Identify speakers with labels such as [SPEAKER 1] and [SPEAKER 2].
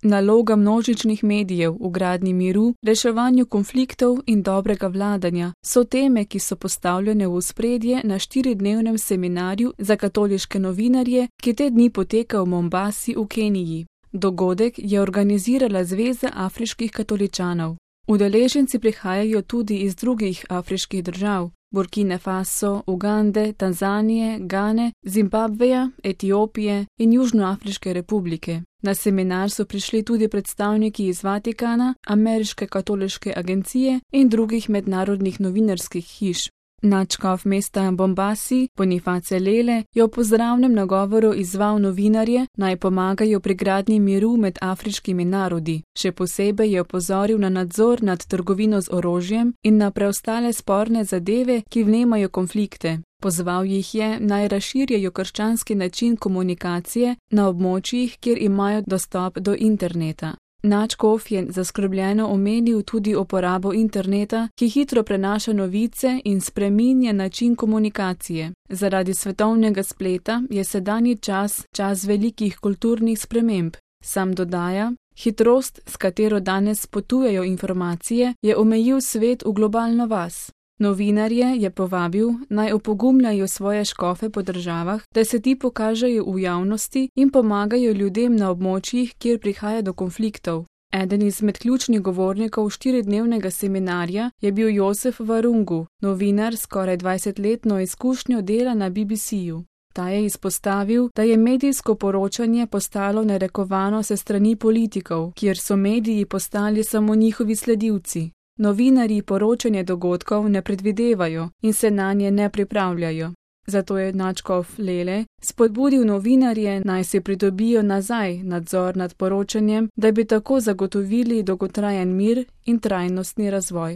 [SPEAKER 1] Naloga množičnih medijev v gradnji miru, reševanju konfliktov in dobrega vladanja so teme, ki so postavljene v ospredje na 4-dnevnem seminarju za katoliške novinarje, ki te dni poteka v Mombasi v Keniji. Dogodek je organizirala Zveza afriških katoličanov. Udeleženci prihajajo tudi iz drugih afriških držav: Burkine Faso, Ugande, Tanzanije, Gane, Zimbabveja, Etiopije in Južnoafriške republike. Na seminar so prišli tudi predstavniki iz Vatikana, Ameriške katoliške agencije in drugih mednarodnih novinarskih hiš. Nadškof mesta Mombasi, Boniface Lele, je v pozdravnem nagovoru izzval novinarje, naj pomagajo pri gradnji miru med afriškimi narodi. Še posebej je opozoril na nadzor nad trgovino z orožjem in na preostale sporne zadeve, ki vnemajo konflikte. Pozval jih je, naj razširjajo krščanski način komunikacije na območjih, kjer imajo dostop do interneta. Nadškof je zaskrbljeno omenil tudi uporabo interneta, ki hitro prenaša novice in spreminja način komunikacije. Zaradi svetovnega spleta je sedanji čas velikih kulturnih sprememb. Sam dodaja: hitrost, s katero danes potujejo informacije, je omejil svet v globalno vas. Novinarje je povabil, naj opogumljajo svoje škofe po državah, da se ti pokažejo v javnosti in pomagajo ljudem na območjih, kjer prihaja do konfliktov. Eden izmed ključnih govornikov 4-dnevnega seminarja je bil Josef Varungu, novinar s skoraj 20-letno izkušnjo dela na BBC-ju. Ta je izpostavil, da je medijsko poročanje postalo narekovano se strani politikov, kjer so mediji postali samo njihovi sledilci. Novinarji poročanje dogodkov ne predvidevajo in se nanje ne pripravljajo. Zato je nadškof Lele spodbudil novinarje, naj si pridobijo nazaj nadzor nad poročanjem, da bi tako zagotovili dolgotrajen mir in trajnostni razvoj.